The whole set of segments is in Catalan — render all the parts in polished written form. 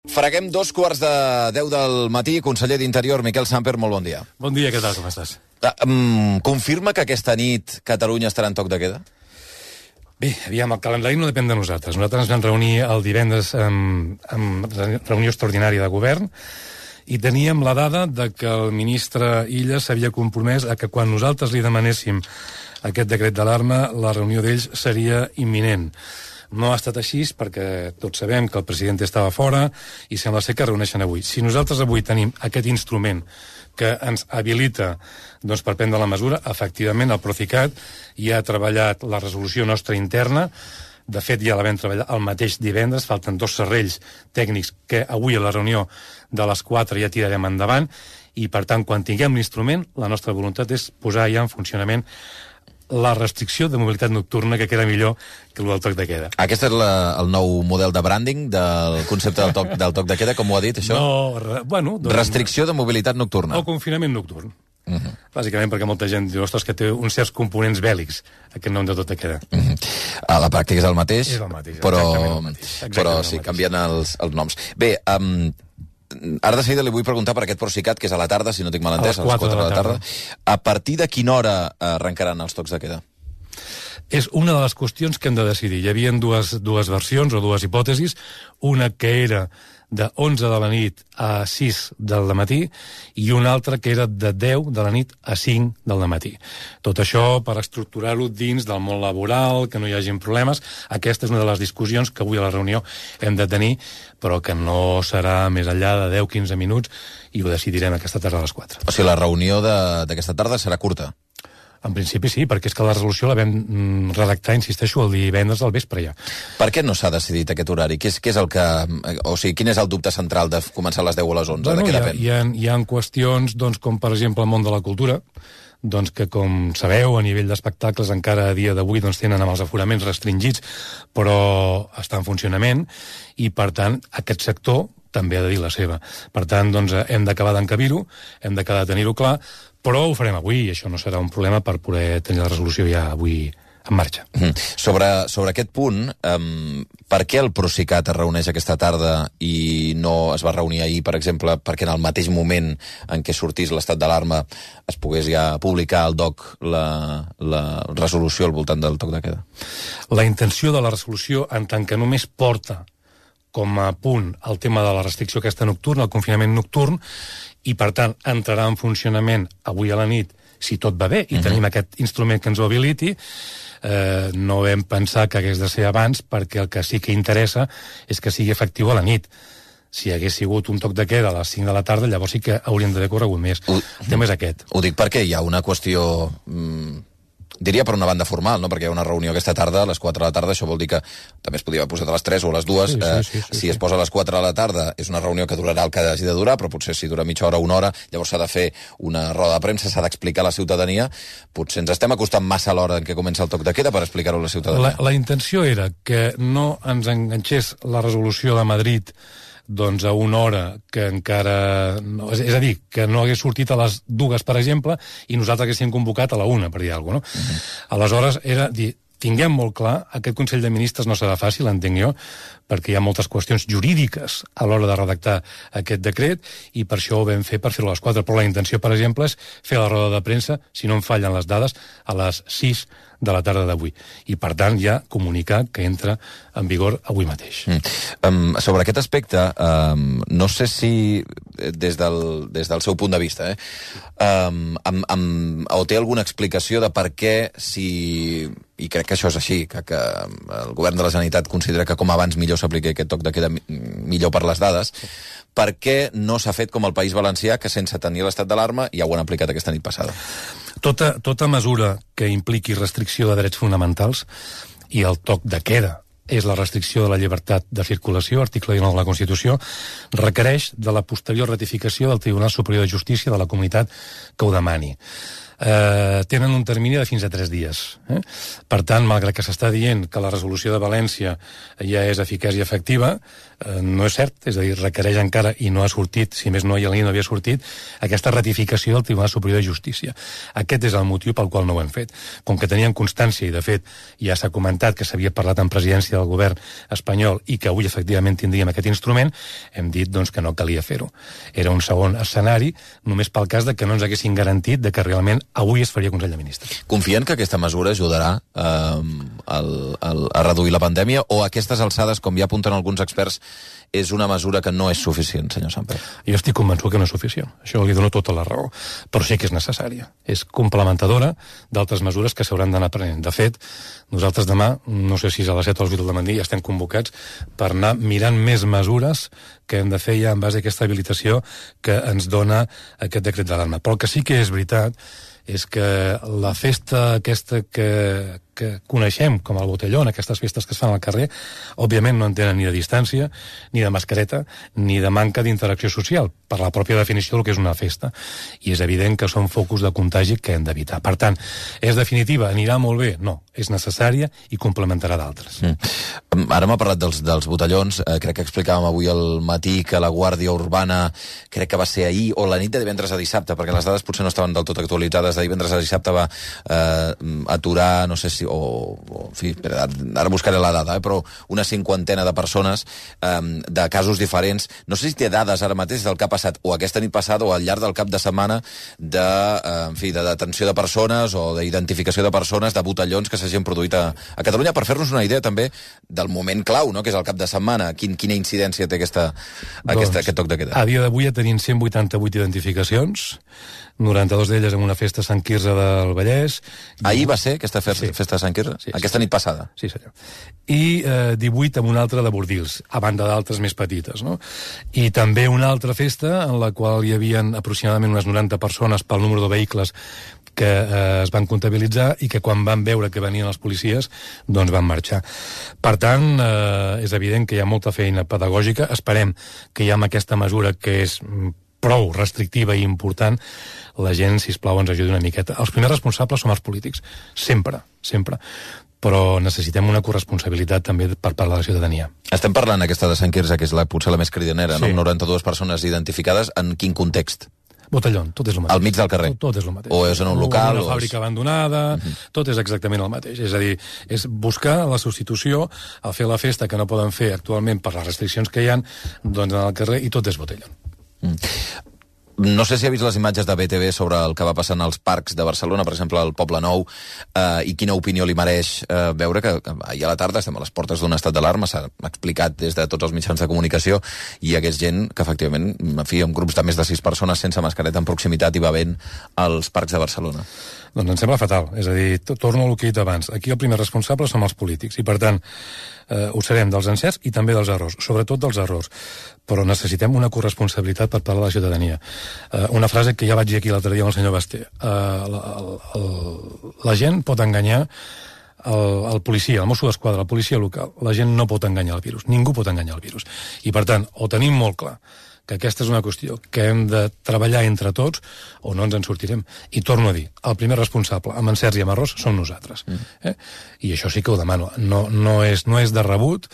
Freguem 2:15 del matí. Conseller d'Interior, Miquel Samper, molt bon dia. Bon dia, què tal, com estàs? Confirma que aquesta nit Catalunya estarà en toc de queda? Bé, aviam, el calendari no depèn de nosaltres. Nosaltres ens vam reunir el divendres amb reunió extraordinària de govern i teníem la dada de que el ministre Illa s'havia compromès a que quan nosaltres li demanéssim aquest decret d'alarma, la reunió d'ells seria imminent. No ha estat així perquè tots sabem que el president estava fora i sembla ser que reuneixen avui. Si nosaltres avui tenim aquest instrument que ens habilita per prendre la mesura, efectivament el Procicat ja ha treballat la resolució nostra interna. De fet, ja la vam treballar el mateix divendres, falten 2 serrells tècnics que avui a la reunió de les 4 ja tirarem endavant i, per tant, quan tinguem l'instrument, la nostra voluntat és posar ja en funcionament la restricció de mobilitat nocturna, que queda millor que el del toc de queda. Aquest és el nou model de branding del concepte del toc de queda, com ho ha dit, això? No, bueno... Restricció de mobilitat nocturna. O confinament nocturn. Bàsicament perquè molta gent diu, ostres, que té uns certs components bèl·lics, aquest nom de tot de queda. A la pràctica és el mateix, és el mateix, però sí, canvien els noms. Bé, ara de seguida li vull preguntar per aquest Procicat, que és a la tarda, si no tinc mal entès, a les 4 de la tarda. A partir de quina hora arrencaran els tocs de queda? És una de les qüestions que hem de decidir. Hi havia dues versions o dues hipòtesis, una que era de 11 de la nit a 6 del matí i una altra que era de 10 de la nit a 5 del matí. Tot això per estructurar-ho dins del món laboral, que no hi hagin problemes. Aquesta és una de les discussions que avui a la reunió hem de tenir, però que no serà més enllà de 10-15 minuts i ho decidirem aquesta tarda a les 4. O sigui, la reunió d'aquesta tarda serà curta? En principi sí, perquè és que la resolució la vam redactar, insisteixo, el divendres al vespre ja. Per què no s'ha decidit aquest horari? Què és el que... O sigui, quin és el dubte central de començar a les 10 o a les 11? Bueno, de què depèn? hi ha qüestions, com per exemple el món de la cultura, que com sabeu, a nivell d'espectacles encara a dia d'avui tenen amb els aforaments restringits, però està en funcionament, i per tant aquest sector també ha de dir la seva. Per tant, hem d'acabar d'encabir-ho, hem d'acabar de tenir-ho clar, però ho farem avui, i això no serà un problema per poder tenir la resolució ja avui en marxa. Sobre aquest punt, per què el Procicat es reuneix aquesta tarda i no es va reunir ahir, per exemple, perquè en el mateix moment en què sortís l'estat d'alarma es pogués ja publicar al DOC la resolució al voltant del toc de queda? La intenció de la resolució, en tant que només porta com a punt el tema de la restricció aquesta nocturna, el confinament nocturn, i per tant entrarà en funcionament avui a la nit, si tot va bé, i tenim aquest instrument que ens ho habiliti, no vam pensar que hagués de ser abans, perquè el que sí que interessa és que sigui efectiu a la nit. Si hagués sigut un toc de queda a les 5 de la tarda, llavors sí que hauríem d'haver corregut més. El tema és aquest. Ho dic perquè hi ha una qüestió... diria per una banda formal, no? Perquè hi ha una reunió aquesta tarda, a les 4 de la tarda, això vol dir que també es podia haver posat a les 3 o a les 2. Si es posa a les 4 de la tarda, és una reunió que durarà el que hagi de durar, però potser si dura mitja hora o una hora, llavors s'ha de fer una roda de premsa, s'ha d'explicar a la ciutadania. Potser ens estem acostant massa a l'hora en què comença el toc de queda per explicar-ho a la ciutadania. La intenció era que no ens enganxés la resolució de Madrid a una hora que encara... És a dir, que no hagués sortit a les 2, per exemple, i nosaltres haguéssim convocat a la 1, per dir alguna cosa, no? Aleshores, era dir, tinguem molt clar, aquest Consell de Ministres no serà fàcil, entenc jo, perquè hi ha moltes qüestions jurídiques a l'hora de redactar aquest decret, i per això ho vam fer per fer-ho a les 4. Però la intenció, per exemple, és fer la roda de premsa, si no em fallen les dades, a les 6 de la tarda d'avui. I, per tant, ja comunicar que entra en vigor avui mateix. Sobre aquest aspecte, no sé si, des del seu punt de vista, o té alguna explicació de per què, i crec que això és així, que el govern de la Generalitat considera que com abans millor s'apliqui aquest toc de queda millor per les dades, per què no s'ha fet com el País Valencià, que sense tenir l'estat d'alarma ja ho han aplicat aquesta nit passada? Tota mesura que impliqui restricció de drets fonamentals, i el toc de queda és la restricció de la llibertat de circulació, article 19 de la Constitució, requereix de la posterior ratificació del Tribunal Superior de Justícia de la comunitat que ho demani. tenen un termini de fins a 3 dies. Per tant, malgrat que s'està dient que la resolució de València ja és eficaç i efectiva, no és cert, és a dir, requereix encara, i no ha sortit, si més no hi havia sortit, aquesta ratificació del Tribunal Superior de Justícia. Aquest és el motiu pel qual no ho hem fet. Com que tenien constància, i de fet ja s'ha comentat que s'havia parlat en presidència del govern espanyol i que avui efectivament tindríem aquest instrument, hem dit doncs, que no calia fer-ho. Era un segon escenari, només pel cas de que no ens haguessin garantit de que realment avui es faria Consell de Ministres. Confien que aquesta mesura ajudarà a reduir la pandèmia, o a aquestes alçades, com ja apunten alguns experts, és una mesura que no és suficient, senyor Samper? Jo estic convençut que no és suficient. Això li dono tota la raó. Però sí que és necessària. És complementadora d'altres mesures que s'hauran d'anar prenent. De fet, nosaltres demà, no sé si és a les 7 o a les 8 del matí, ja estem convocats per anar mirant més mesures que hem de fer ja en base a aquesta habilitació que ens dona aquest decret d'alarma. Però el que sí que és veritat és que la festa aquesta que coneixem com el botellón, aquestes festes que es fan al carrer, òbviament no en tenen ni de distància, ni de mascareta, ni de manca d'interacció social, per la pròpia definició del que és una festa. I és evident que són focus de contagi que hem d'evitar. Per tant, és definitiva? Anirà molt bé? No. És necessària i complementarà d'altres. Ara m'ha parlat dels botellons. Crec que explicàvem avui al matí que la Guàrdia Urbana, crec que va ser ahir, o la nit de divendres a dissabte, perquè les dades potser no estaven del tot actualitzades, de divendres a dissabte va aturar, no sé si en fi, ara buscaré la dada, però una 50ena de persones de casos diferents. No sé si té dades ara mateix del que ha passat o aquesta nit passada o al llarg del cap de setmana de detenció de persones o d'identificació de persones, de botellons que s'hagin produït a Catalunya, per fer-nos una idea també del moment clau, no?, que és el cap de setmana. Quina incidència té aquest toc de queda? A dia d'avui ja tenim 188 identificacions, 92 d'elles en una festa a Sant Quirze del Vallès. Ahir va ser aquesta festa de Sant Quirze? Sí, aquesta nit passada? Sí, senyor. I 18 en una altra de Bordils, a banda d'altres més petites, no? I també una altra festa en la qual hi havia aproximadament unes 90 persones pel número de vehicles que es van comptabilitzar i que quan van veure que venien els policies doncs van marxar. Per tant, és evident que hi ha molta feina pedagògica. Esperem que ja amb aquesta mesura que és prou restrictiva i important, la gent, sisplau, ens ajudi una miqueta. Els primers responsables som els polítics, sempre, sempre. Però necessitem una corresponsabilitat també per part de la ciutadania. Estem parlant aquesta de Sant Quirze, que és potser la més cridanera, sí, no? 92 persones identificades. En quin context? Botellón, tot és el mateix. Al mig del carrer? Tot és el mateix. O és en un local? O una fàbrica abandonada, tot és exactament el mateix. És a dir, és buscar la substitució al fer la festa que no poden fer actualment per les restriccions que hi ha, doncs en el carrer, i tot és botellón. No sé si ha vist les imatges de BTV sobre el que va passant als parcs de Barcelona, per exemple, al Poble Nou, i quina opinió li mereix veure que ahir a la tarda estem a les portes d'un estat d'alarma, s'ha explicat des de tots els mitjans de comunicació, i hi hagués gent que, efectivament, en fi, amb grups de més de 6 persones sense mascareta en proximitat i bevent als parcs de Barcelona. Doncs em sembla fatal. És a dir, torno al que he dit abans. Aquí el primer responsable som els polítics i, per tant, ho serem dels encerts i també dels errors, sobretot dels errors. Però necessitem una corresponsabilitat per part de la ciutadania. Una frase que ja vaig dir aquí l'altre dia amb el senyor Basté. La gent pot enganyar el policia, el Mosso d'Esquadra, la policia local. La gent no pot enganyar el virus. Ningú pot enganyar el virus. I, per tant, ho tenim molt clar, que aquesta és una qüestió que hem de treballar entre tots o no ens en sortirem. I torno a dir, el primer responsable, amb encerts i amb errors, som nosaltres. I això sí que ho demano. No és de rebut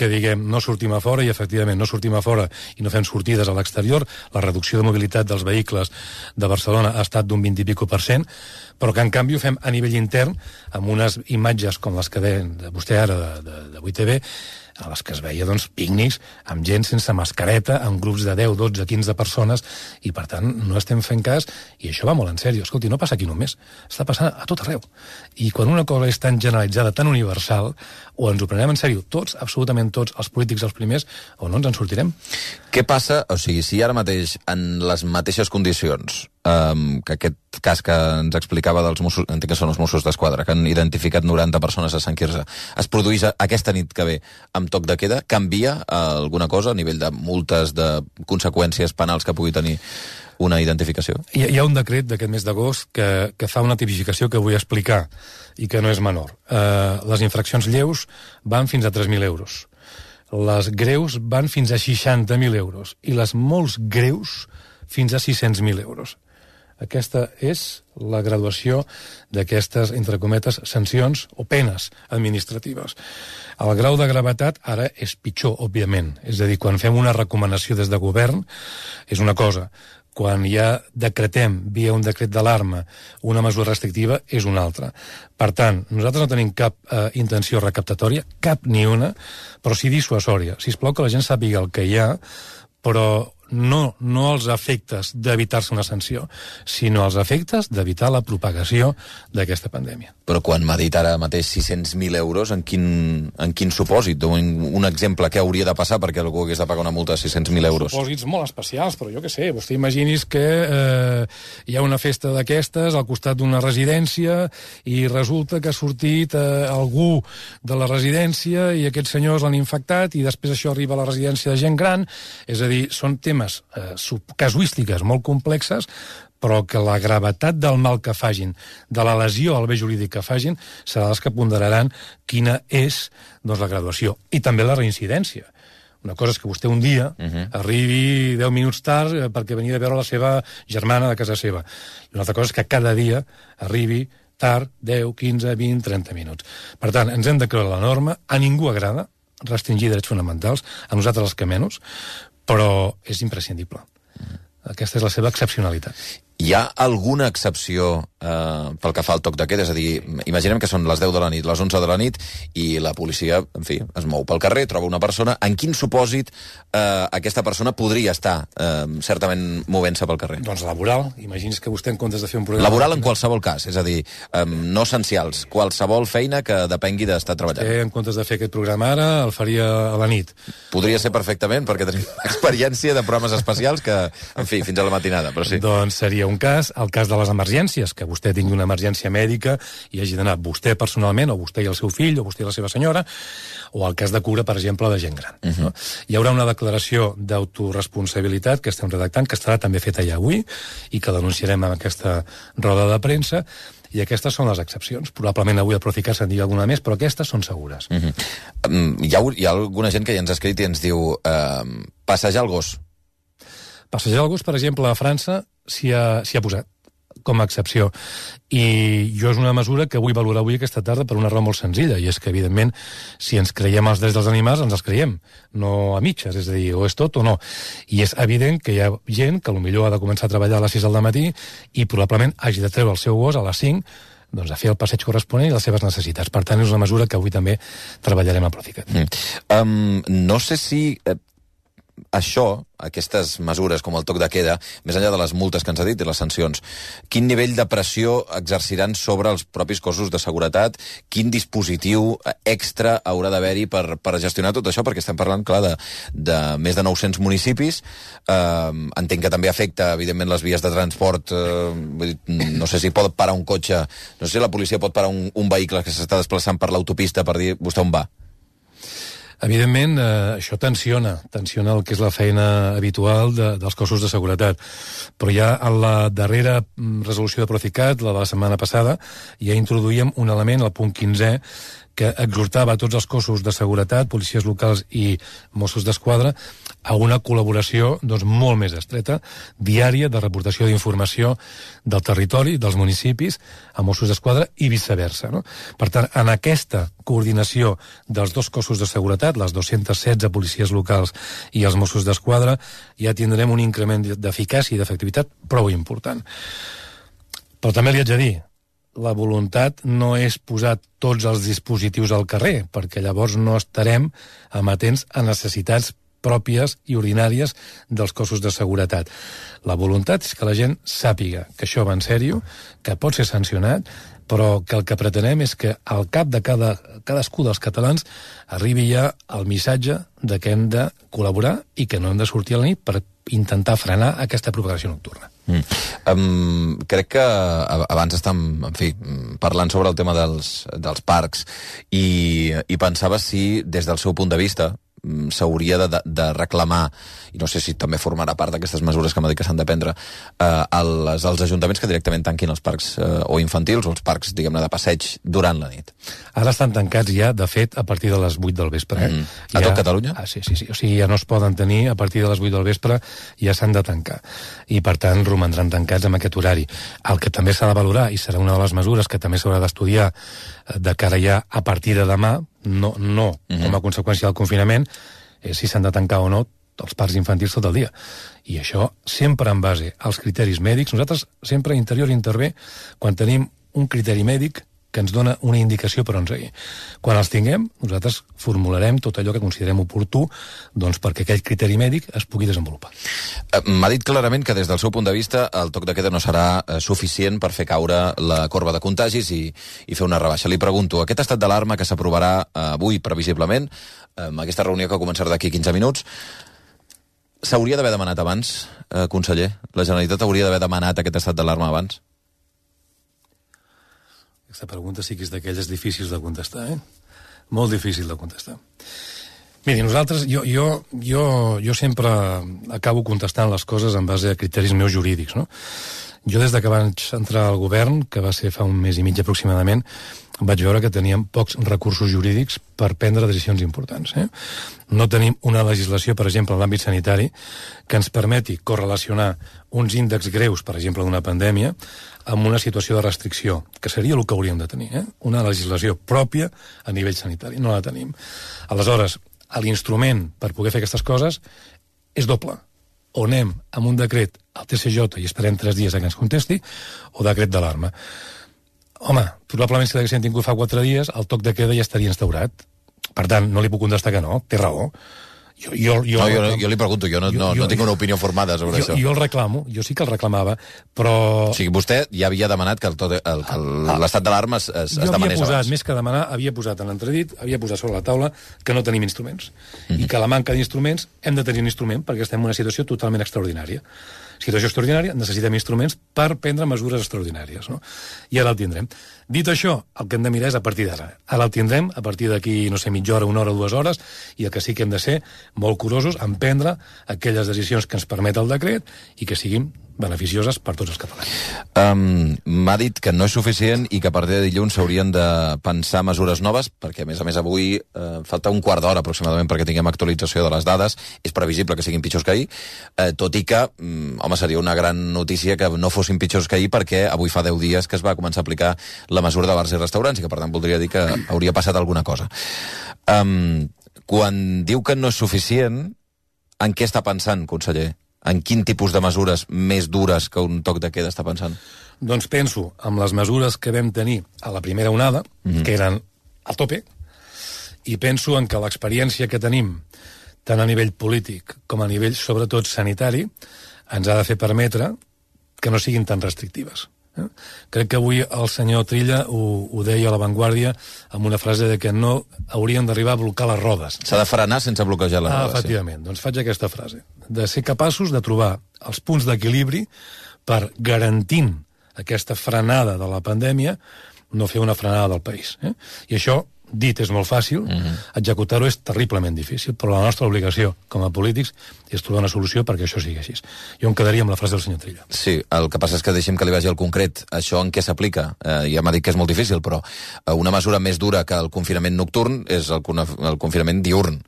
que diguem no sortim a fora, i efectivament no sortim a fora i no fem sortides a l'exterior. La reducció de mobilitat dels vehicles de Barcelona ha estat d'un 20 i pico %, però que en canvi ho fem a nivell intern amb unes imatges com les que deien vostè ara de 8TV, a les que es veia, doncs, pícnics amb gent sense mascareta, amb grups de 10, 12, 15 persones, i per tant no estem fent cas, i això va molt en sèrio. Escolti, no passa aquí només, està passant a tot arreu. I quan una cosa és tan generalitzada, tan universal, o ens ho prenem en sèrio tots, absolutament tots, els polítics els primers, o no ens en sortirem. Què passa, o sigui, si ara mateix, en les mateixes condicions, que aquest cas que ens explicava dels Mossos, entenc que són els Mossos d'Esquadra, que han identificat 90 persones a Sant Quirze, es produís aquesta nit que ve amb toc de queda, canvia alguna cosa a nivell de multes, de conseqüències penals que pugui tenir una identificació? Hi ha un decret d'aquest mes d'agost que fa una tipificació que vull explicar i que no és menor. Les infraccions lleus van fins a 3.000 euros. Les greus van fins a 60.000 euros. I les molt greus fins a 600.000 euros. Aquesta és la graduació d'aquestes, entre cometes, sancions o penes administratives. El grau de gravetat ara és pitjor, òbviament. És a dir, quan fem una recomanació des de govern, és una cosa. Quan ja decretem, via un decret d'alarma, una mesura restrictiva, és una altra. Per tant, nosaltres no tenim cap intenció recaptatòria, cap ni una, però sí dissuasòria. Sisplau que la gent sàpiga el que hi ha, però no els efectes d'evitar-se una sanció, sinó els efectes d'evitar la propagació d'aquesta pandèmia. Però quan m'ha dit ara mateix 600.000 euros, en quin supòsit? Un exemple que hauria de passar perquè algú hagués de pagar una multa de 600.000 euros? Supòsits molt especials, però jo què sé, vostè imaginis que hi ha una festa d'aquestes al costat d'una residència i resulta que ha sortit algú de la residència i aquests senyors l'han infectat i després això arriba a la residència de gent gran. És a dir, són temes casuístiques molt complexes, però que la gravetat del mal que fagin, de la lesió al bé jurídic que fagin, serà els que ponderaran quina és la graduació. I també la reincidència. Una cosa és que vostè un dia arribi 10 minuts tard perquè venia a veure la seva germana de casa seva. I una altra cosa és que cada dia arribi tard 10, 15, 20, 30 minuts. Per tant, ens hem de creure la norma. A ningú agrada restringir drets fonamentals, a nosaltres els que menys, però és imprescindible. Aquesta és la seva excepcionalitat. Hi ha alguna excepció pel que fa al toc de queda? És a dir, imaginem que són les 10 de la nit, les 11 de la nit, i la policia, en fi, es mou pel carrer, troba una persona. En quin supòsit aquesta persona podria estar certament movent-se pel carrer? Doncs laboral. Imagini's que vostè, en comptes de fer un programa... Laboral en qualsevol cas, és a dir, no essencials. Qualsevol feina que depengui d'estar treballant. Vostè, en comptes de fer aquest programa ara, el faria a la nit. Podria ser perfectament, perquè tenim experiència de programes especials que, en fi, fins a la matinada, però sí. Doncs seria un cas, el cas de les emergències, que vostè tingui una emergència mèdica i hagi d'anar vostè personalment, o vostè i el seu fill, o vostè i la seva senyora, o el cas de cura, per exemple, de gent gran. No? Hi haurà una declaració d'autoresponsabilitat que estem redactant, que estarà també feta ja avui, i que denunciarem en aquesta roda de premsa, i aquestes són les excepcions. Probablement avui el Procicat se'n digui alguna més, però aquestes són segures. Hi ha alguna gent que ja ens ha escrit i ens diu passejar el gos. Passejar el gos, per exemple, a França s'hi ha posat com a excepció. I jo és una mesura que vull valorar avui aquesta tarda per una raó molt senzilla, i és que, evidentment, si ens creiem els drets dels animals, ens els creiem, no a mitges, és a dir, o és tot o no. I és evident que hi ha gent que potser ha de començar a treballar a les 6 del matí i probablement hagi de treure el seu gos a les 5 doncs, a fer el passeig corresponent i les seves necessitats. Per tant, és una mesura que avui també treballarem a Procicat. No sé si això, aquestes mesures com el toc de queda, més enllà de les multes que ens ha dit i les sancions, quin nivell de pressió exerciran sobre els propis cossos de seguretat? Quin dispositiu extra haurà d'haver-hi per gestionar tot això? Perquè estem parlant, clar, de més de 900 municipis. Entenc que també afecta, evidentment, les vies de transport. No sé si pot parar un cotxe, no sé si la policia pot parar un vehicle que s'està desplaçant per l'autopista per dir, vostè on va? Evidentment, això tensiona el que és la feina habitual dels cossos de seguretat. Però ja en la darrera resolució de Procicat, la de la setmana passada, ja introduïem un element, el punt 15è, que exhortava a tots els cossos de seguretat, policies locals i Mossos d'Esquadra, a una col·laboració molt més estreta, diària, de reportació d'informació del territori, dels municipis, a Mossos d'Esquadra i viceversa. No? Per tant, en aquesta coordinació dels dos cossos de seguretat, les 216 policies locals i els Mossos d'Esquadra, ja tindrem un increment d'eficàcia i d'efectivitat prou important. Però també li haig de dir, la voluntat no és posar tots els dispositius al carrer, perquè llavors no estarem amatents a necessitats pròpies i ordinàries dels cossos de seguretat. La voluntat és que la gent sàpiga que això va en sèrio, que pot ser sancionat, però que el que pretenem és que al cap de cadascú dels catalans arribi ja el missatge de que hem de col·laborar i que no hem de sortir a la nit per intentar frenar aquesta propagació nocturna. Crec que abans estàvem, en fi, parlant sobre el tema dels parcs i pensava si, des del seu punt de vista, s'hauria de reclamar, i no sé si també formarà part d'aquestes mesures que m'ha dit que s'han de prendre, als ajuntaments que directament tanquin els parcs o infantils o els parcs, diguem-ne, de passeig durant la nit. Ara estan tancats ja, de fet, a partir de les 8 del vespre. A tot Catalunya? Sí. O sigui, ja no es poden tenir a partir de les 8 del vespre, ja s'han de tancar. I, per tant, romandran tancats amb aquest horari. El que també s'ha de valorar, i serà una de les mesures que també s'haurà d'estudiar de cara ja a partir de demà, no com a conseqüència del confinament, és si s'han de tancar o no els parcs infantils tot el dia. I això sempre en base als criteris mèdics. Nosaltres sempre Interior intervé quan tenim un criteri mèdic que ens dona una indicació per on seguir. Quan els tinguem, nosaltres formularem tot allò que considerem oportú perquè aquell criteri mèdic es pugui desenvolupar. M'ha dit clarament que des del seu punt de vista el toc de queda no serà suficient per fer caure la corba de contagis i fer una rebaixa. Li pregunto, aquest estat d'alarma que s'aprovarà avui previsiblement, amb aquesta reunió que començarà d'aquí 15 minuts, s'hauria d'haver demanat abans, conseller? La Generalitat hauria d'haver demanat aquest estat d'alarma abans? Aquesta pregunta sí que és d'aquelles difícils de contestar, Molt difícil de contestar. Miri, nosaltres, jo sempre acabo contestant les coses en base a criteris meus jurídics, no? Jo des que vaig entrar al govern, que va ser fa un mes i mig aproximadament, vaig veure que teníem pocs recursos jurídics per prendre decisions importants. No tenim una legislació, per exemple, en l'àmbit sanitari, que ens permeti correlacionar uns índexs greus, per exemple, d'una pandèmia, amb una situació de restricció, que seria el que hauríem de tenir, una legislació pròpia a nivell sanitari. No la tenim. Aleshores, l'instrument per poder fer aquestes coses és doble. O anem amb un decret al TCJ i esperem 3 dies que ens contesti, o decret d'alarma. Home, probablement si l'haguéssim tingut fa 4 dies, el toc de queda ja estaria instaurat. Per tant, no li puc contestar que no, té raó. Jo li pregunto, jo no tinc una opinió formada sobre això. Jo el reclamo, jo sí que el reclamava, però... O sigui, vostè ja havia demanat que l'estat d'alarma es demanés abans. Jo havia posat, més que demanar, havia posat en l'entredit, havia posat sobre la taula que no tenim instruments. I que la manca d'instruments, hem de tenir un instrument perquè estem en una situació totalment extraordinària. Situació extraordinària, necessitem instruments per prendre mesures extraordinàries, no? I ara el tindrem. Dit això, el que hem de mirar és a partir d'ara. Ara el tindrem, a partir d'aquí, no sé, mitja hora, 1 hora, 2 hores, i el que sí que hem de ser molt curosos en prendre aquelles decisions que ens permet el decret i que siguin beneficioses per tots els catalans. M'ha dit que no és suficient i que a partir de dilluns s'haurien de pensar mesures noves, perquè a més avui falta un quart d'hora aproximadament perquè tinguem actualització de les dades. És previsible que siguin pitjors que ahir, tot i que, home, seria una gran notícia que no fossin pitjors que ahir, perquè avui fa 10 dies que es va començar a aplicar la mesura de bars i restaurants i que per tant voldria dir que hauria passat alguna cosa. Quan diu que no és suficient, en què està pensant, conseller? En quin tipus de mesures més dures que un toc de queda està pensant? Doncs penso en les mesures que vam tenir a la primera onada, que eren a tope, i penso en que l'experiència que tenim, tant a nivell polític com a nivell, sobretot, sanitari, ens ha de fer permetre que no siguin tan restrictives. Crec que avui el senyor Trilla ho deia a La Vanguardia amb una frase de que no haurien d'arribar a blocar les rodes. S'ha de frenar sense bloquejar les rodes. Efectivament, doncs faig aquesta frase. De ser capaços de trobar els punts d'equilibri per, garantint aquesta frenada de la pandèmia, no fer una frenada del país. I això, dit és molt fàcil, executar-ho és terriblement difícil, però la nostra obligació com a polítics és trobar una solució perquè això sigui així. Jo em quedaria amb la frase del senyor Trilla. Sí, el que passa és que deixem que li vagi al concret. Això en què s'aplica? Ja m'ha dit que és molt difícil, però una mesura més dura que el confinament nocturn és el confinament diurn.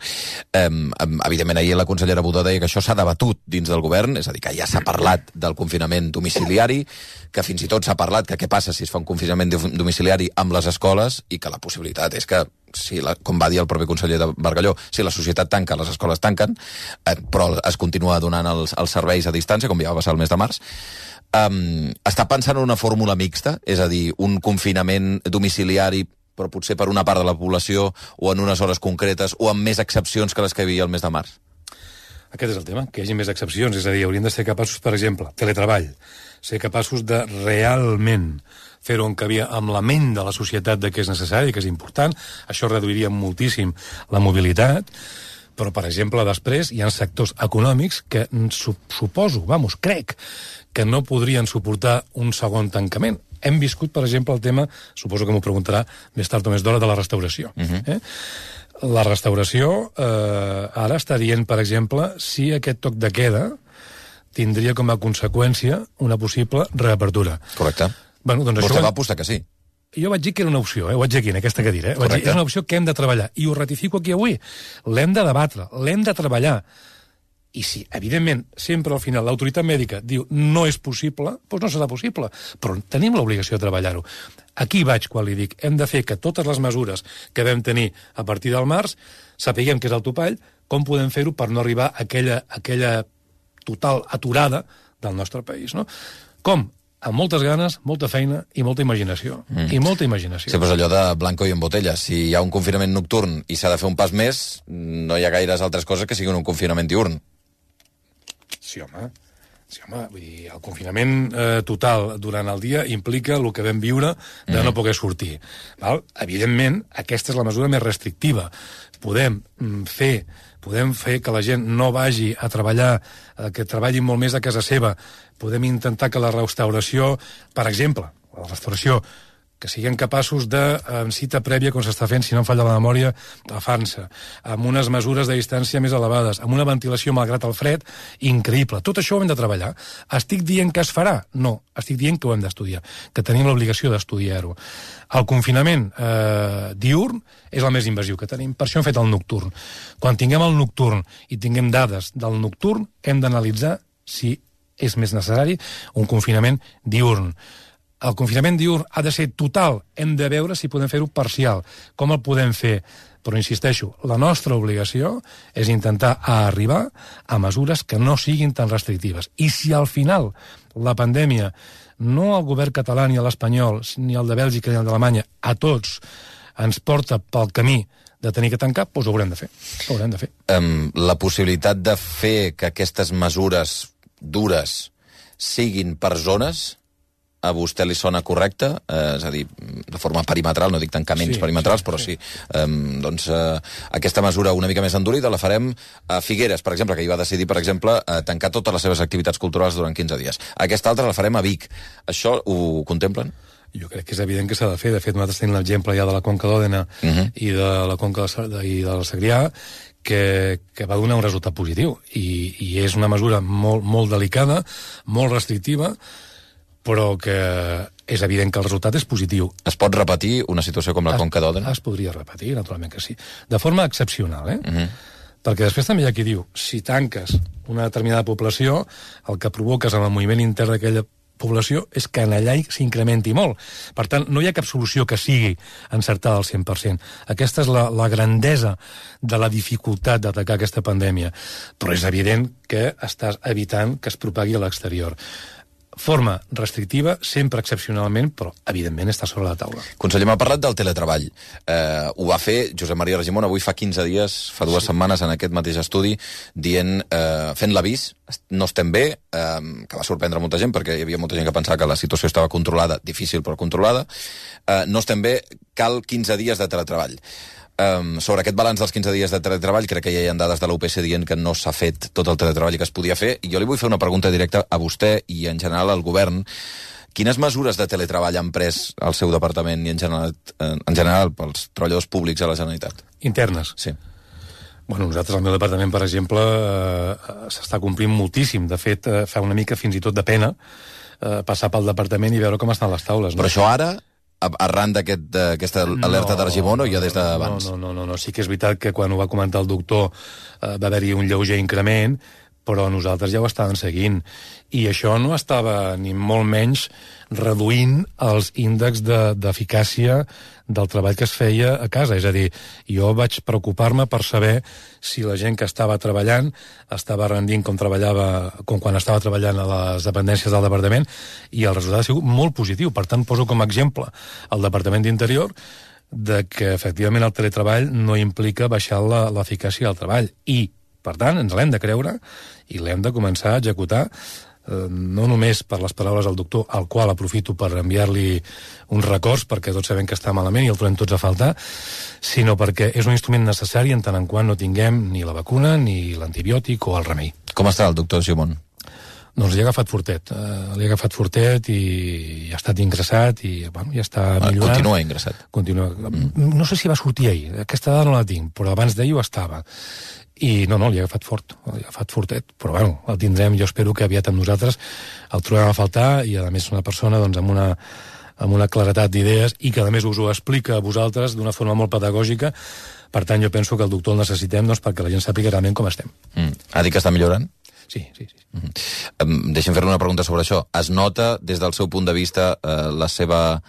Evidentment, ahir la consellera Budó deia que això s'ha debatut dins del govern, és a dir, que ja s'ha parlat del confinament domiciliari, que fins i tot s'ha parlat que què passa si es fa un confinament domiciliari amb les escoles i que la possibilitat és que, com va dir el propi conseller de Bargalló, si la societat tanca, les escoles tanquen, però es continua donant els serveis a distància, com ja va passar el mes de març. Està pensant en una fórmula mixta, és a dir, un confinament domiciliari però potser per una part de la població o en unes hores concretes o amb més excepcions que les que hi havia el mes de març? Aquest és el tema, que hi hagi més excepcions, és a dir, hauríem de ser capaços, per exemple, teletreball, ser capaços de realment fer-ho encabir amb la ment de la societat de que és necessari, que és important, això reduiria moltíssim la mobilitat, però, per exemple, després hi ha sectors econòmics que suposo, crec, que no podrien suportar un segon tancament. Hem viscut, per exemple, el tema, suposo que m'ho preguntarà més tard o més d'hora, de la restauració. La restauració ara està dient, per exemple, si aquest toc de queda tindria com a conseqüència una possible reapertura. Correcte. Bueno, doncs Vostè va apostar que sí. Jo vaig dir que era una opció, ho vaig dir aquí, en aquesta cadira. Vaig dir, és una opció que hem de treballar. I ho ratifico aquí avui. L'hem de debatre, l'hem de treballar. I si, evidentment, sempre al final l'autoritat mèdica diu no és possible, doncs no serà possible. Però tenim l'obligació de treballar-ho. Aquí vaig quan li dic, hem de fer que totes les mesures que vam tenir a partir del març sapiguem que és el topall, com podem fer-ho per no arribar a aquella total aturada del nostre país, no? Com? Amb moltes ganes, molta feina i molta imaginació. I molta imaginació. Sí, però és allò de blanco i en botella. Si hi ha un confinament nocturn i s'ha de fer un pas més, no hi ha gaires altres coses que siguin un confinament diurn. Sí, home. Vull dir, el confinament total durant el dia implica el que vam viure de no poder sortir. Val? Evidentment, aquesta és la mesura més restrictiva. Podem fer que la gent no vagi a treballar, que treballin molt més a casa seva. Podem intentar que la restauració, per exemple, la restauració, que siguem capaços de, en cita prèvia, com s'està fent, si no em falla la memòria, a França, amb unes mesures de distància més elevades, amb una ventilació, malgrat el fred, increïble. Tot això ho hem de treballar. Estic dient que es farà? No. Estic dient que ho hem d'estudiar, que tenim l'obligació d'estudiar-ho. El confinament diurn és el més invasiu que tenim. Per això hem fet el nocturn. Quan tinguem el nocturn i tinguem dades del nocturn, hem d'analitzar si és més necessari un confinament diurn. El confinament diurn ha de ser total. Hem de veure si podem fer-ho parcial. Com el podem fer? Però, insisteixo, la nostra obligació és intentar arribar a mesures que no siguin tan restrictives. I si al final la pandèmia, no el govern català ni l'espanyol, ni el de Bèlgica ni el d'Alemanya, a tots ens porta pel camí de tenir que tancar, doncs ho haurem de fer. Ho haurem de fer. La possibilitat de fer que aquestes mesures dures siguin per zones, a vostè li sona correcte? És a dir, de forma perimetral, no dic tancaments perimetrals, però sí. Doncs aquesta mesura una mica més endurida la farem a Figueres, per exemple, que hi va decidir, per exemple, tancar totes les seves activitats culturals durant 15 dies. Aquesta altra la farem a Vic. Això ho contemplen? Jo crec que és evident que s'ha de fer. De fet, nosaltres tenim l'exemple ja de la Conca d'Òdena i de la Conca i del Segrià, que va donar un resultat positiu. I és una mesura molt delicada, molt restrictiva, però que és evident que el resultat és positiu. Es pot repetir una situació com la Conca d'Òdena? Es podria repetir, naturalment que sí. De forma excepcional, Perquè després també hi ha qui diu, si tanques una determinada població, el que provoques en el moviment intern d'aquella població és que en allà s'incrementi molt. Per tant, no hi ha cap solució que sigui encertada al 100%. Aquesta és la grandesa de la dificultat d'atacar aquesta pandèmia. Però és evident que estàs evitant que es propagui a l'exterior. Forma restrictiva, sempre excepcionalment, però evidentment està sobre la taula. Conseller, m'ha parlat del teletreball. Ho va fer Josep Maria Argimon avui fa 15 dies, fa 2 setmanes, en aquest mateix estudi, dient, fent l'avís, no estem bé, que va sorprendre molta gent, perquè hi havia molta gent que pensava que la situació estava controlada, difícil però controlada. No estem bé, cal 15 dies de teletreball. Sobre aquest balanç dels 15 dies de teletreball, crec que ja hi ha dades de l'UPC dient que no s'ha fet tot el teletreball que es podia fer, i jo li vull fer una pregunta directa a vostè i en general al govern. Quines mesures de teletreball han pres el seu departament i en general pels treballadors públics a la Generalitat? Internes? Sí. Bueno, nosaltres, al meu departament, per exemple, s'està complint moltíssim. De fet, fa una mica fins i tot de pena passar pel departament i veure com estan les taules. Però això ara, arran d'aquesta alerta d'Argimon, o ja des d'abans? No. Sí que és veritat que quan ho va comentar el doctor va haver-hi un lleuger increment, però nosaltres ja ho estàvem seguint. I això no estava ni molt menys reduint els índexs d'eficàcia del treball que es feia a casa. És a dir, jo vaig preocupar-me per saber si la gent que estava treballant estava rendint com quan estava treballant a les dependències del departament, i el resultat ha sigut molt positiu. Per tant, poso com a exemple el Departament d'Interior de que, efectivament, el teletreball no implica baixar l'eficàcia del treball. I, per tant, ens l'hem de creure i l'hem de començar a executar, no només per les paraules del doctor, al qual aprofito per enviar-li uns records, perquè tots sabem que està malament i el trobem tots a faltar, sinó perquè és un instrument necessari en tant en quant no tinguem ni la vacuna, ni l'antibiòtic o el remei. Com està el doctor Argimon? Doncs li ha agafat fortet i ha estat ingressat i bueno, ja està millorant. Continua ingressat. No sé si va sortir ahir, aquesta dada no la tinc, però abans d'ahir ho estava. I no, li ha agafat fortet, però bueno, el tindrem, jo espero que aviat amb nosaltres el trobem a faltar i a més una persona doncs, amb una claretat d'idees i que a més us ho explica a vosaltres d'una forma molt pedagògica. Per tant, jo penso que el doctor el necessitem perquè la gent sàpiga realment com estem. Ha dit que està millorant? Sí. Deixem fer-li una pregunta sobre això. Es nota, des del seu punt de vista, la seva...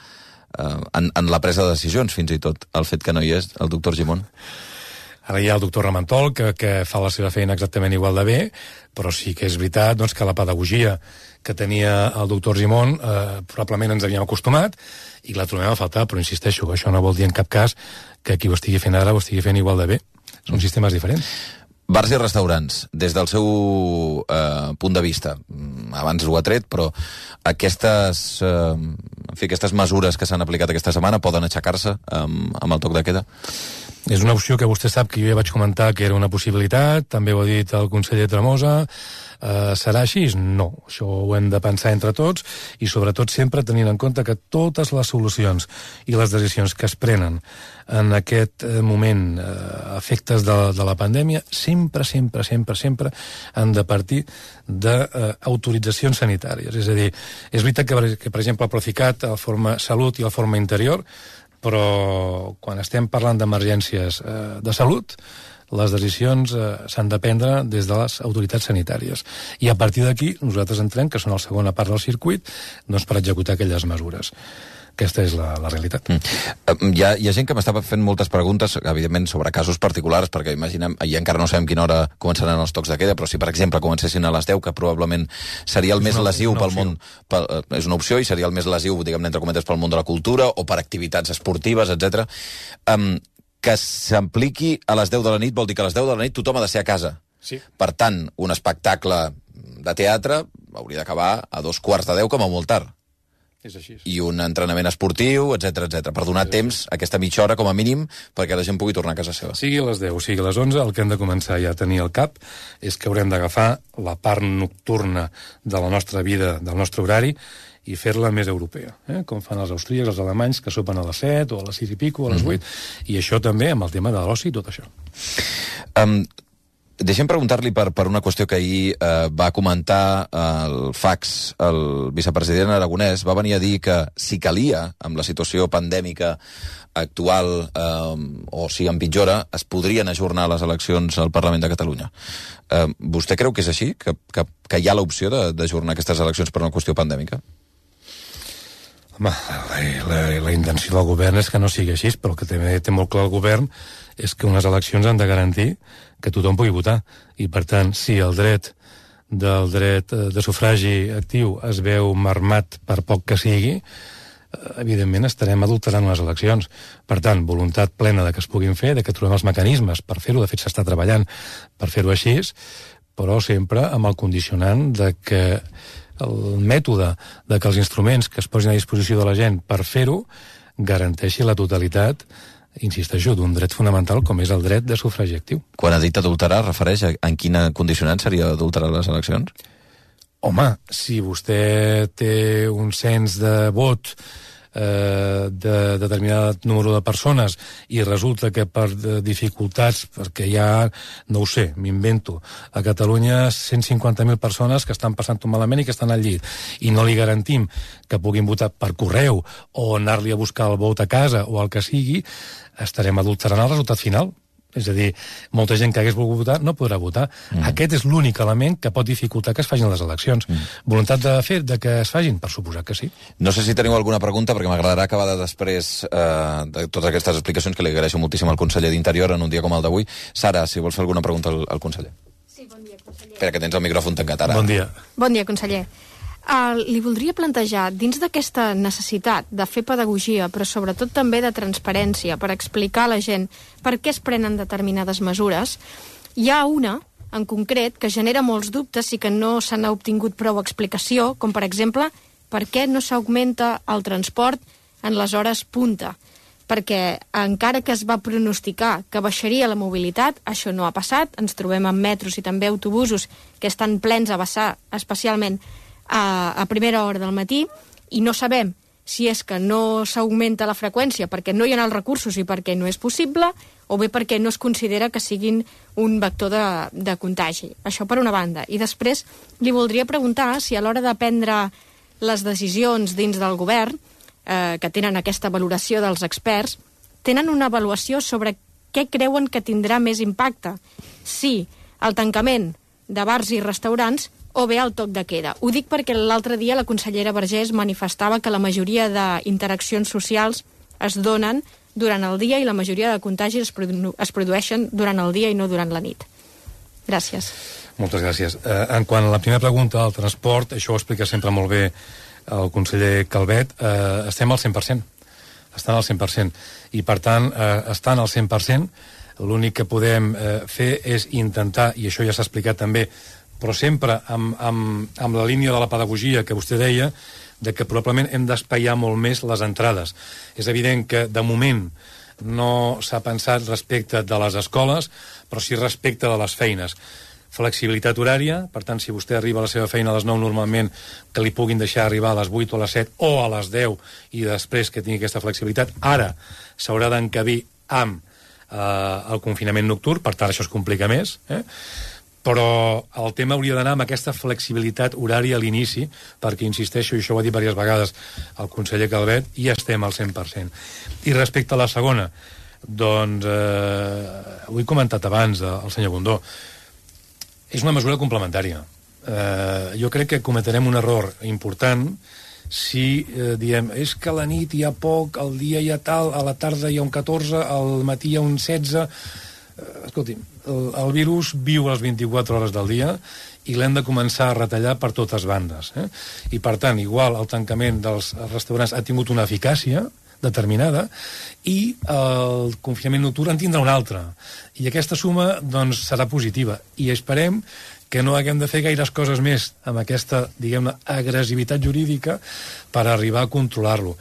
en la presa de decisions, fins i tot, el fet que no hi és, el doctor Argimon? Ara hi ha el doctor Ramentol, que fa la seva feina exactament igual de bé, però sí que és veritat doncs, que la pedagogia que tenia el doctor Argimon probablement ens havíem acostumat i la trobem a faltar, però insisteixo, això no vol dir en cap cas que qui ho estigui fent ara ho estigui fent igual de bé. Són sistemes diferents. Bars i restaurants, des del seu punt de vista, abans ho ha tret, però aquestes mesures que s'han aplicat aquesta setmana poden aixecar-se amb el toc de queda? És una opció que vostè sap que jo ja vaig comentar que era una possibilitat, també ho ha dit el conseller Tremosa. Serà així? No. Això ho hem de pensar entre tots i sobretot sempre tenint en compte que totes les solucions i les decisions que es prenen en aquest moment efectes de la pandèmia sempre han de partir d'autoritzacions sanitàries. És a dir, és veritat que per exemple, el Procicat, el Forma Salut i el Forma Interior, però quan estem parlant d'emergències de salut, les decisions s'han de prendre des de les autoritats sanitàries. I a partir d'aquí, nosaltres entrem, que són la segona part del circuit, doncs per executar aquelles mesures. Aquesta és la realitat. Hi ha gent que m'estava fent moltes preguntes, evidentment, sobre casos particulars, perquè imaginem, i encara no sabem quina hora començaran els tocs de queda, però si, per exemple, comencessin a les 10, que probablement seria el més lesiu pel món... És una opció i seria el més lesiu, diguem-ne, entre cometes, pel món de la cultura o per activitats esportives, etc. Que s'apliqui a les 10 de la nit vol dir que a les 10 de la nit tothom ha de ser a casa. Sí. Per tant, un espectacle de teatre hauria d'acabar a 2:15 com a molt tard. És així. I un entrenament esportiu, etc per donar temps, aquesta mitja hora com a mínim, perquè la gent pugui tornar a casa seva. Sigui a les 10 o sigui a les 11, el que hem de començar ja a tenir al cap és que haurem d'agafar la part nocturna de la nostra vida, del nostre horari, i fer-la més europea, com fan els austríacs, els alemanys, que sopen a les 7 o a les 6 i pico, o a les 8, i això també amb el tema de l'oci i tot això. Deixem preguntar-li per una qüestió que ahir va comentar el fax, el vicepresident aragonès, va venir a dir que si calia, amb la situació pandèmica actual, o si empitjora, es podrien ajornar les eleccions al Parlament de Catalunya. Vostè creu que és així? Que hi ha l'opció d'ajornar aquestes eleccions per una qüestió pandèmica? Home, la intenció del govern és que no sigui així, però el que també té molt clar el govern és que unes eleccions han de garantir que tothom pugui votar. I, per tant, si el dret de sufragi actiu es veu marmat per poc que sigui, evidentment estarem adulterant unes eleccions. Per tant, voluntat plena de que es puguin fer, de que trobem els mecanismes per fer-ho, de fet s'està treballant per fer-ho així, però sempre amb el condicionant de que el mètode de que els instruments que es posin a disposició de la gent per fer-ho garanteixi la totalitat, insisteixo, d'un dret fonamental com és el dret de sufragi actiu. Quan ha dit adulterar, refereix en quina condicionant seria adulterar les eleccions? Home, si vostè té un cens de vot de determinat número de persones i resulta que per dificultats, perquè hi ha, no ho sé, m'invento, a Catalunya 150.000 persones que estan passant-ho malament i que estan al llit, i no li garantim que puguin votar per correu o anar-li a buscar el vot a casa o el que sigui, estarem adulterant el resultat final. És a dir, molta gent que hagués volgut votar no podrà votar. Aquest és l'únic element que pot dificultar que es facin les eleccions. Voluntat de que es facin? Per suposar que sí. No sé si teniu alguna pregunta, perquè m'agradarà acabar després de totes aquestes explicacions, que li agraeixo moltíssim al conseller d'Interior en un dia com el d'avui. Sara, si vols fer alguna pregunta al conseller. Sí, bon dia, conseller. Espera, que tens el micròfon tancat ara. Bon dia. Bon dia, conseller. Li voldria plantejar, dins d'aquesta necessitat de fer pedagogia, però sobretot també de transparència, per explicar a la gent per què es prenen determinades mesures, hi ha una, en concret, que genera molts dubtes i que no se n'ha obtingut prou explicació, com per exemple, per què no s'augmenta el transport en les hores punta. perquè encara que es va pronosticar que baixaria la mobilitat, això no ha passat. Ens trobem amb metros i també autobusos que estan plens a vessar, especialment a primera hora del matí, i no sabem si és que no s'augmenta la freqüència perquè no hi ha els recursos i perquè no és possible, o bé perquè no es considera que siguin un vector de contagi. Això per una banda. I després li voldria preguntar si a l'hora de prendre les decisions dins del govern, que tenen aquesta valoració dels experts, tenen una avaluació sobre què creuen que tindrà més impacte. Si el tancament de bars i restaurants o bé el toc de queda. Ho dic perquè l'altre dia la consellera Vergés manifestava que la majoria d'interaccions socials es donen durant el dia i la majoria de contagis es produeixen durant el dia i no durant la nit. Gràcies. Moltes gràcies. En quant a la primera pregunta del transport, això ho explica sempre molt bé el conseller Calvet, estem al 100%. Estan al 100%. I, per tant, estan al 100%, l'únic que podem fer és intentar, i això ja s'ha explicat també, però sempre amb la línia de la pedagogia que vostè deia, de que probablement hem d'espaiar molt més les entrades. És evident que, de moment, no s'ha pensat respecte de les escoles, però sí respecte de les feines. Flexibilitat horària, per tant, si vostè arriba a la seva feina a les 9 normalment, que li puguin deixar arribar a les 8 o a les 7 o a les 10 i després que tingui aquesta flexibilitat. Ara s'haurà d'encabir amb el confinament nocturn, per tant això es complica més, però el tema hauria d'anar amb aquesta flexibilitat horària a l'inici, perquè, insisteixo, i això ho ha dit diverses vegades el conseller Calvet, i estem al 100%. I respecte a la segona, doncs, ho he comentat abans, el senyor Bundó, és una mesura complementària. Jo crec que cometrem un error important si diem, és que a la nit hi ha poc, al dia hi ha tal, a la tarda hi ha un 14, al matí hi ha un 16... Escolti, el virus viu a les 24 hores del dia i l'hem de començar a retallar per totes bandes. I, per tant, igual el tancament dels restaurants ha tingut una eficàcia determinada i el confinament nocturn en tindrà una altra. I aquesta suma, doncs, serà positiva. I esperem que no haguem de fer gaires coses més amb aquesta, diguem-ne, agressivitat jurídica per arribar a controlar-lo.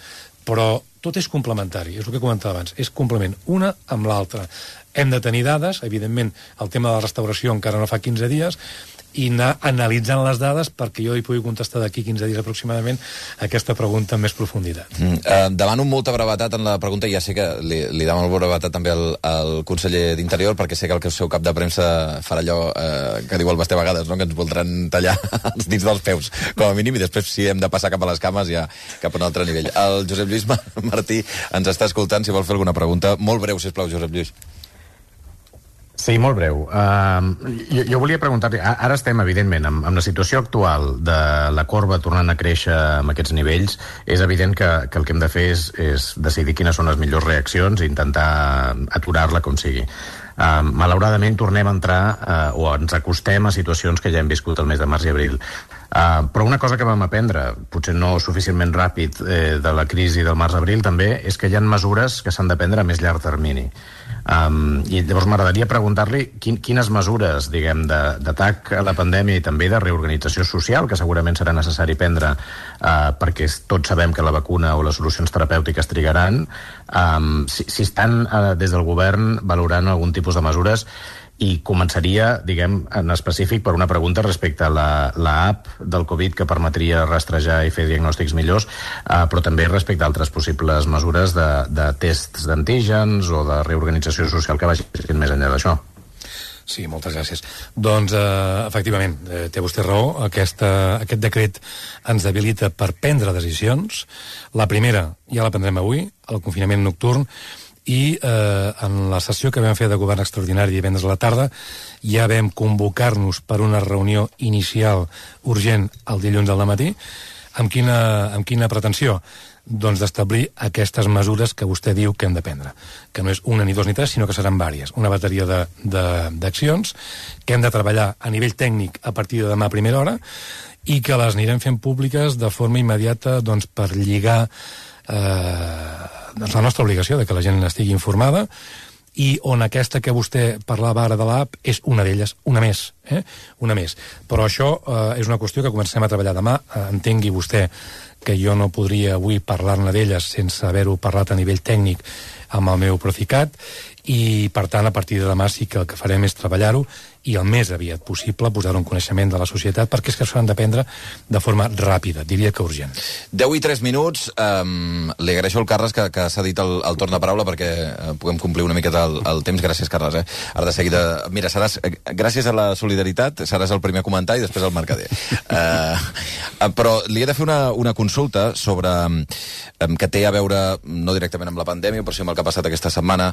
Però tot és complementari, és el que comentava abans, és complement, una amb l'altra. Hem de tenir dades, evidentment, el tema de la restauració encara no fa 15 dies, i anar analitzant les dades perquè jo hi pugui contestar d'aquí 15 dies aproximadament aquesta pregunta amb més profunditat. Demano molta brevetat en la pregunta, i ja sé que li demano brevetat també al conseller d'Interior, perquè sé que el seu cap de premsa farà allò que diu el Basté a vegades, no? Que ens voldran tallar els dits dels peus, com a mínim, i després si hem de passar cap a les cames ja cap a un altre nivell. El Josep Lluís Martí ens està escoltant, si vol fer alguna pregunta. Molt breu, sisplau, Josep Lluís. Sí, molt breu. Jo volia preguntar-li, ara estem, evidentment, amb la situació actual de la corba tornant a créixer amb aquests nivells, és evident que el que hem de fer és decidir quines són les millors reaccions i intentar aturar-la com sigui. Malauradament tornem a entrar o ens acostem a situacions que ja hem viscut el mes de març i abril. Però una cosa que vam aprendre, potser no suficientment ràpid, de la crisi del març-abril també, és que hi ha mesures que s'han de prendre a més llarg termini. I llavors m'agradaria preguntar-li quines mesures, diguem, d'atac a la pandèmia i també de reorganització social, que segurament serà necessari prendre perquè tots sabem que la vacuna o les solucions terapèutiques trigaran, si estan des del govern valorant algun tipus de mesures. I començaria, diguem, en específic per una pregunta respecte a la app del Covid que permetria rastrejar i fer diagnòstics millors, però també respecte a altres possibles mesures de tests d'antígens o de reorganització social que vagin més enllà d'això. Sí, moltes gràcies. Doncs, efectivament, té vostè raó, aquest decret ens habilita per prendre decisions. La primera ja la prendrem avui, el confinament nocturn, i en la sessió que vam fer de govern extraordinari divendres a la tarda ja vam convocar-nos per una reunió inicial urgent el dilluns al matí. Amb quina pretensió? Doncs d'establir aquestes mesures que vostè diu que hem de prendre, que no és una ni dos ni tres, sinó que seran vàries, una bateria d'accions que hem de treballar a nivell tècnic a partir de demà a primera hora i que les anirem fent públiques de forma immediata, doncs, per lligar la nostra obligació de que la gent estigui informada, i on aquesta que vostè parlava ara de l'app és una d'elles, una més. Però això és una qüestió que comencem a treballar demà. Entengui vostè que jo no podria avui parlar-ne d'elles sense haver-ho parlat a nivell tècnic amb el meu Procicat, i per tant a partir de demà sí que el que farem és treballar-ho i el més aviat possible posar-ho en coneixement de la societat, perquè és que s'han de prendre de forma ràpida, diria que urgent. 10 i 3 minuts. Li agraeixo al Carles que s'ha dit el torn de paraula perquè puguem complir una miqueta el temps. Gràcies, Carles. Ara de seguida... Mira, gràcies a la solidaritat seràs el primer a comentar i després el mercader. Però li he de fer una consulta sobre que té a veure no directament amb la pandèmia, però sí amb el que ha passat aquesta setmana,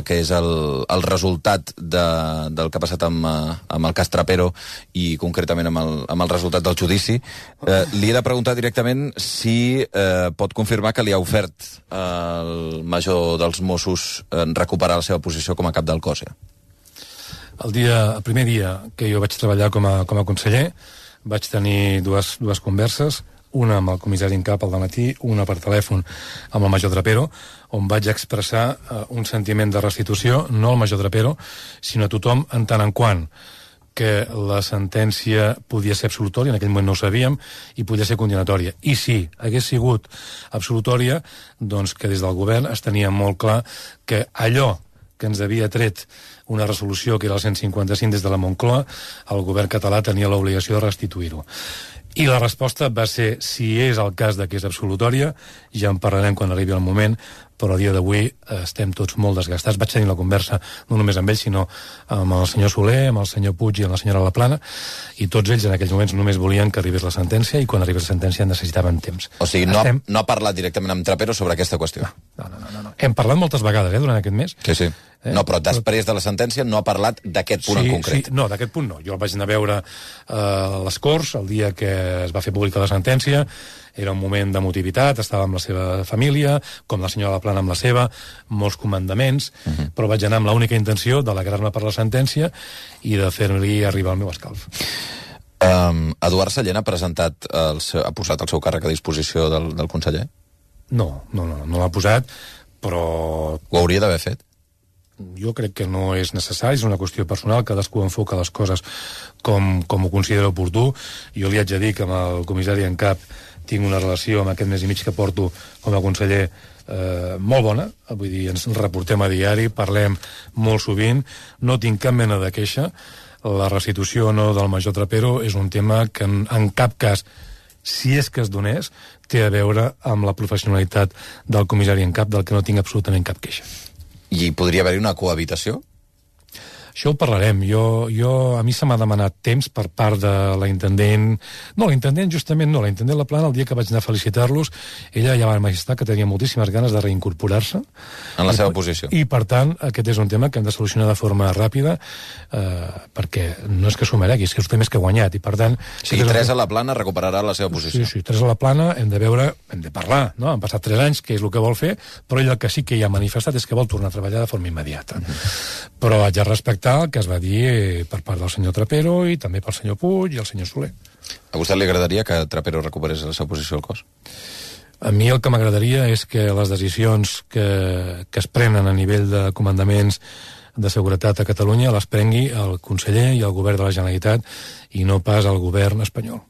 que és el resultat del que ha passat amb el cas Trapero i concretament amb el resultat del judici. Li he de preguntar directament si pot confirmar que li ha ofert el major dels Mossos recuperar la seva posició com a cap del cos. El primer dia que jo vaig treballar com a conseller vaig tenir dues converses, una amb el comissari en cap al dematí, una per telèfon amb el major Trapero, on vaig expressar un sentiment de restitució, no al major Trapero, sinó a tothom en tant en quant que la sentència podia ser absolutòria, en aquell moment no ho sabíem, i podia ser condemnatòria. I si hagués sigut absolutòria, doncs que des del govern es tenia molt clar que allò que ens havia tret una resolució que era el 155 des de la Moncloa, el govern català tenia l'obligació de restituir-ho. I la resposta va ser, si és el cas de que és absolutòria, ja en parlarem quan arribi el moment, però a dia d'avui estem tots molt desgastats. Vaig tenir la conversa no només amb ell, sinó amb el senyor Soler, amb el senyor Puig i amb la senyora Laplana, i tots ells en aquells moments només volien que arribés la sentència, i quan arribés la sentència necessitaven temps. O sigui, no ha parlat directament amb Trapero sobre aquesta qüestió? No. Hem parlat moltes vegades, durant aquest mes. Sí. No, però després de la sentència no ha parlat d'aquest punt en concret. Sí, no, d'aquest punt no. Jo el vaig anar a veure a les Corts el dia que es va fer pública la sentència. Era un moment d'emotivitat, estava amb la seva família, com la senyora Laplana amb la seva, molts comandaments, però vaig anar amb l'única intenció d'alegrar-me per la sentència i de fer-li arribar el meu escalf. Eduard Sallent ha posat el seu càrrec a disposició del conseller? No l'ha posat, però... Ho hauria d'haver fet? Jo crec que no és necessari, és una qüestió personal, cadascú enfoca les coses com ho considera oportú. Jo li haig de dir que amb el comissari en cap tinc una relació amb aquest mes i mig que porto com a conseller molt bona, vull dir, ens reportem a diari, parlem molt sovint, no tinc cap mena de queixa. La restitució o no del major Trapero és un tema que en cap cas, si és que es donés, té a veure amb la professionalitat del comissari en cap, del que no tinc absolutament cap queixa. I podria haver-hi una cohabitació? Això ho parlarem. A mi se m'ha demanat temps per part de la intendent... No, la intendent justament no. La intendent Laplana, el dia que vaig anar a felicitar-los, ella ja va manifestar que tenia moltíssimes ganes de reincorporar-se. En la seva posició. I, per tant, aquest és un tema que hem de solucionar de forma ràpida, perquè no és que s'ho meregui, és que és un tema que ha guanyat, i per tant... O sigui, Teresa Laplana recuperarà la seva posició. Sí, Teresa Laplana, hem de parlar, no? Han passat 3 anys, que és el que vol fer, però ell el que sí que ja ha manifestat és que vol tornar a treballar de forma immediata. Però haig de respectar el que es va dir per part del senyor Trapero i també pel senyor Puig i el senyor Soler. A vostè li agradaria que Trapero recuperés la seva posició al cos? A mi el que m'agradaria és que les decisions que es prenen a nivell de comandaments de seguretat a Catalunya les prengui el conseller i el govern de la Generalitat i no pas el govern espanyol.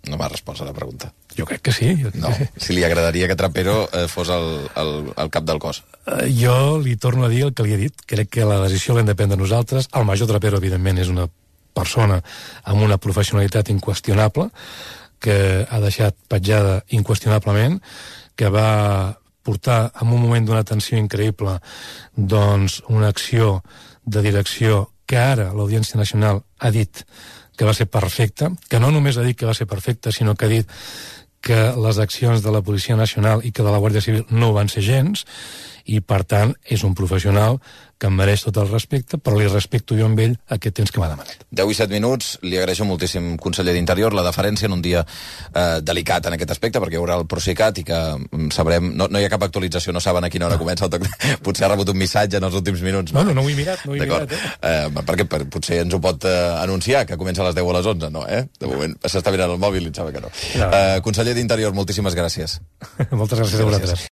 No m'ha respost a la pregunta. Jo crec que sí. Si li agradaria que Trapero fos el cap del cos. Jo li torno a dir el que li he dit. Crec que la decisió l'hem de prendre nosaltres. El major Trapero, evidentment, és una persona amb una professionalitat inqüestionable, que ha deixat petjada inqüestionablement, que va portar en un moment d'una tensió increïble doncs una acció de direcció que ara l'Audiència Nacional ha dit que va ser perfecta, que no només ha dit que va ser perfecta, sinó que ha dit que les accions de la Policia Nacional i que de la Guàrdia Civil no van ser gens, i per tant és un professional que em mereix tot el respecte, però li respecto jo amb ell aquest temps que m'ha demanat. 10 i 7 minuts, li agraeixo moltíssim, conseller d'Interior, la deferència en un dia delicat en aquest aspecte, perquè hi haurà el Procicat i que sabrem... No hi ha cap actualització, no saben a quina hora comença el toc. Potser ha rebut un missatge en els últims minuts. No ho he mirat, perquè potser ens ho pot anunciar, que comença a les 10 o a les 11, no, De moment s'està mirant el mòbil i em sembla que no. Conseller d'Interior, moltíssimes gràcies. Moltes gràcies a vosaltres.